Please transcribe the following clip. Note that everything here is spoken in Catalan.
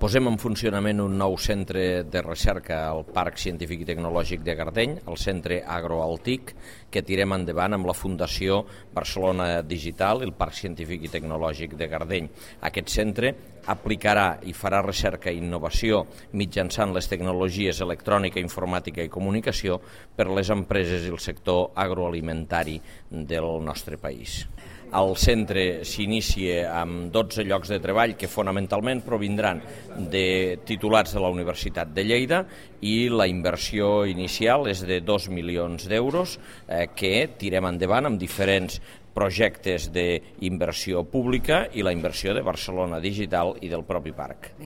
Posem en funcionament un nou centre de recerca al Parc Científic i Tecnològic de Gardeny, el Centre Agroaltic, que tirem endavant amb la Fundació Barcelona Digital i el Parc Científic i Tecnològic de Gardeny. Aquest centre aplicarà i farà recerca i innovació mitjançant les tecnologies electrònica, informàtica i comunicació per les empreses i el sector agroalimentari del nostre país. El centre s'inicia amb 12 llocs de treball que fonamentalment provindran de titulats de la Universitat de Lleida i la inversió inicial és de 2 milions d'euros que tirem endavant amb diferents projectes d'inversió pública i la inversió de Barcelona Digital i del propi parc.